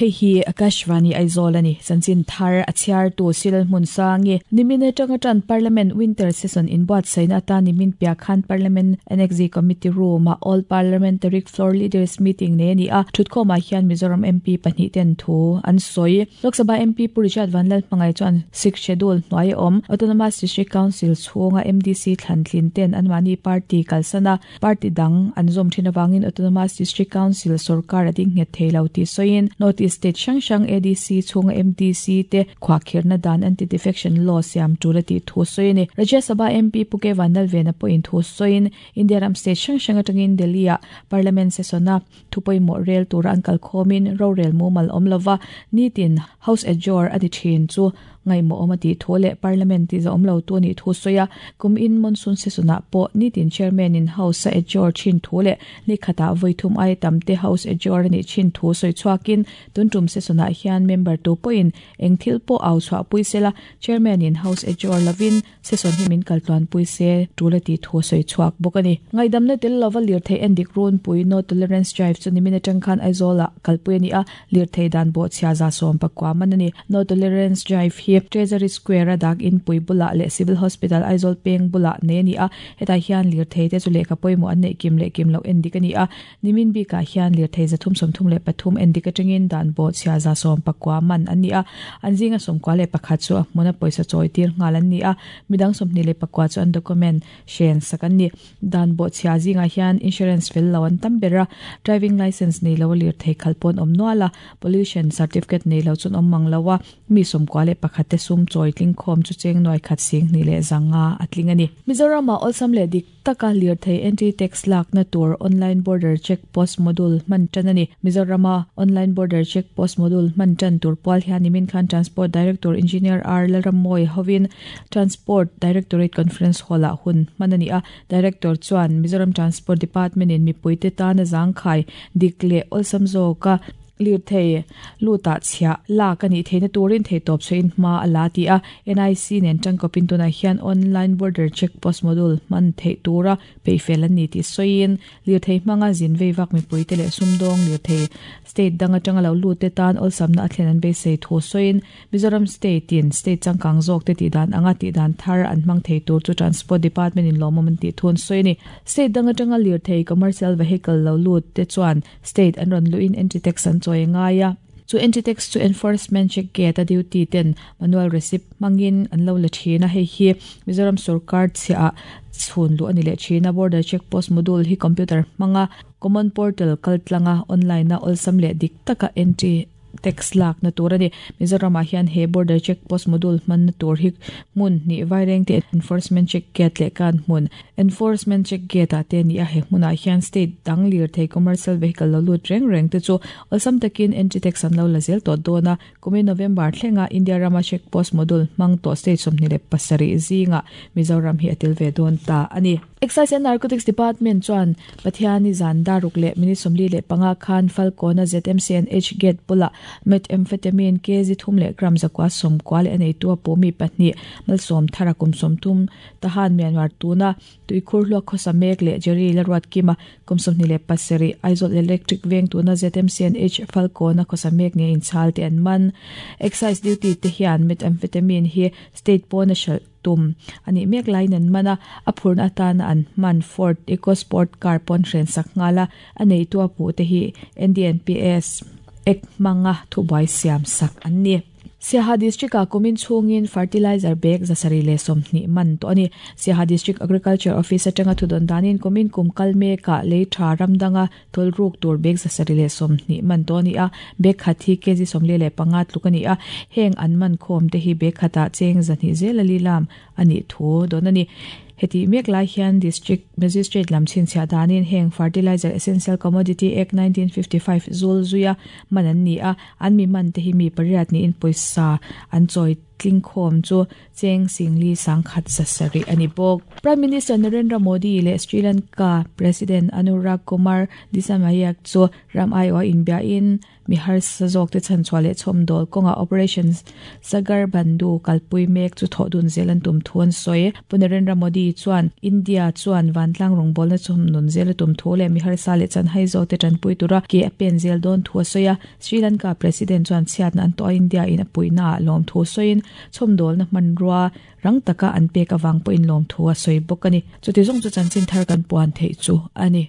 Hei hi Akashvani Aizawl a ni. Chanchin thar a chhiartu Cyril Hmunsangi. Nimin atanga tan Parliament Winter Session inbuatsaihna atan nimin piah khan Parliament Annexe Committee Room-ah All Parliamentary Floor Leaders Meeting nei a ni a. Thutkhawmah hian Mizoram MP pahnih ten thu an sawi. Lok Sabha MP Pu Richard Vanlalhmangai chuan Sixth Schedule hnuai a awm Autonomous District Council chhunga MDC thlantlin ten anmahni party kalsan a, Party dang an zawm thin avangin Autonomous District Council sorkar a ding nghet thei lo tih sawiin North East state hrang hrang ADC chhunga MDC te khuahkhirhna dan Anti-Defection Law siam tul a tih thu sawi a ni. Rajya Sabha MP Pu K Vanlalvena pawhin thu sawiin India ram state hrang hrang atangin Delhi-ah Parliament session-a thu pawimawh rel tura an kalkhawmin rorel mumal awm lova nitin House adjourn a ni thin chu Ngaihmawh awm a tih thu leh Parliament tih zawh awm lo tu a nih thu sawi a, kum in monsoon session ah pawh nitin Chairman in House a adjourn thin thu leh ni khatah vawi thum aia tam te House adjourn a nih thin thu sawi chhuakin tun tum session ah hian member tu pawhin eng thil pawh au chhuah pui sela Chairman in House adjourn lovin session hi min kal tluan pui se tul a tih thu sawi chhuak bawk a ni. Ngaihdamna tel lova lirthei endik runpui No Tolerance Drive chu nimin atang khan Aizawl ah kalpui a ni a, Lirthei dan bawhchhia 70 man a ni. No Tolerance Drive hi Treasury Square a dak inpui bulah leh Civil Hospital Aizawl peng bulah nei a ni a, hetah hian lirthei te chu lehkha pawimawh an neih kim leh kim loh endik a ni a. Nimin bikah hian lirthei 333 endik atangin dan bawhchhia 90 man an ni a, an zinga 91 chu a hmuna pawisa chawi tir nghal an ni a, midang 29 chu an document hren sak an ni. Dan bawhchhia zingah hian insurance fel lo an tam ber a, driving licence nei lo a lirthei khalh pawh an awm nual a, pollution certificate nei lo chu an awm mang lo a, mi 91 te sum chawi tling khawm chu cheng nuai khat 20 leh 500 a tling a ni. Mizoramah awlsam leh dik taka lirthei entry tax lakna tur online border check post module hman tan a ni. Mizorama online border check post module hman tan tur pual hian nimin khan Transport Director Engineer R Lalrammawi hovin Transport Directorate Conference Hall-ah hun hman a ni a, Director chuan Mizoram Transport Department-in mipuite tana zangkhai dik leh awlsam zawka lirthei lutah chhiah lak a nih theihna turin theihtawp chhuahin hma a la ti a, NIC nen tangkawpin tunah hian Online Border Check Post Module hman theih tura peihfel an ni tih sawiin Lirthei hmanga zin vei vak mipuite leh sumdawng lirthei state dang atanga lo lutte tan awlsamna a thlen an beisei thu sawiin Mizoram state in state changkang zawkte tihdan anga tihdan thar an hmang thei tur chu Transport Department in lawmawm an tih thu an sawi a ni. State dang atanga lirthei commercial vehicle lo lut te chuan state an rawn luhin entry tax an chawi a ngai a. Chu entry tax chu enforcement check gate a duty ten manual receipt hmangin an lo la thin a, hei hi Mizoram sorkar chhiah ah chhun luh a ni leh thin a. Border check post module hi computer hmanga common portal kaltlanga online a awlsam leh dik taka entry tax lakna tur a ni. Mizoram ah hian he border check post module hmanna tur hi hmun hnih vaireng te enforcement check gate leh kan hmun Enforcement check gate ah te a ni a, he hmunah hian state dang lirthei commercial vehicle lo lut reng reng te chu awlsam takin entry tax an lo la zel tawh dawn a, kumin November thlenga India rama check post module hmang tawh state 27 zingah Mizoram hi a tel ve dawn ta a ni. Excise and Narcotics Department chuan Pathiani zan daruk leh minute 45 khan Falkawna ZMCNH gate bulah Methamphetamine kg thum leh gram 990 leh a neitu a pawh mi pahnih malsawm thara kum 30 Tahan Myanmar tuna tuikhur hluak khawsa mek leh Jerry Laruatkima kum 27 Aizawl Electric veng tuna ZMCNH Falkawna khawsa mek nge inchhal te an man. Excise duty te hian methamphetamine hi state pawna hralh tum a nih mek laiin an man a, a phurna atana an hman Ford EcoSport car pawn hren sak nghal a, a neitu a puh te hi NDNPS Act hmanga thubuai siam sak an ni. Siaha District-ah kumin chhungin fertilizer bag 720 man tawh a ni. Siaha District Agriculture Office atanga thudawn danin kumin kum kal mekah lei tha ram danga tawlruk tur bag 720 man tawh a ni a, bag khat hi kg 45 tluk a ni a, heng an man khawm te hi bag khatah cheng 200 zel a lilam a nih thu dawn a ni. Hetih mek lai hian District Magistrate lam chhinchhiah danin heng Fertilizer Essential Commodity Act 1955 zul zuia man an ni a, an mi man te hi mi pariat niin pawisa an chawi. Tlingkhawm chu cheng singli sangkhat zasarih a ni bawk. Prime Minister Narendra Modi leh Sri Lanka President Anurag Kumar Dissanayake chu ram aiawha inbiahin mi harsa zawkte chhanchhuah leh chhawmdawl kawngah Operation Sagar Bandhu kalpui mek chu thawh dun zel an tum thu an sawi. Pu Narendra Modi chuan India chuan vantlang rawngbawlna chhawmnun zel a tum thu leh mi harsa leh chanhai zawkte tanpui tura ke a pen zel dawn thu a sawi a. Sri Lanka President chuan chhiatna an tawh a India in a puihna ah lawmthu sawiin chhawmdawlna hmanrua rang taka an pek avang pawhin lawmthu a sawi bawk a ni. Chuti zawng chu chanchin thar kan puan theih chu a ni.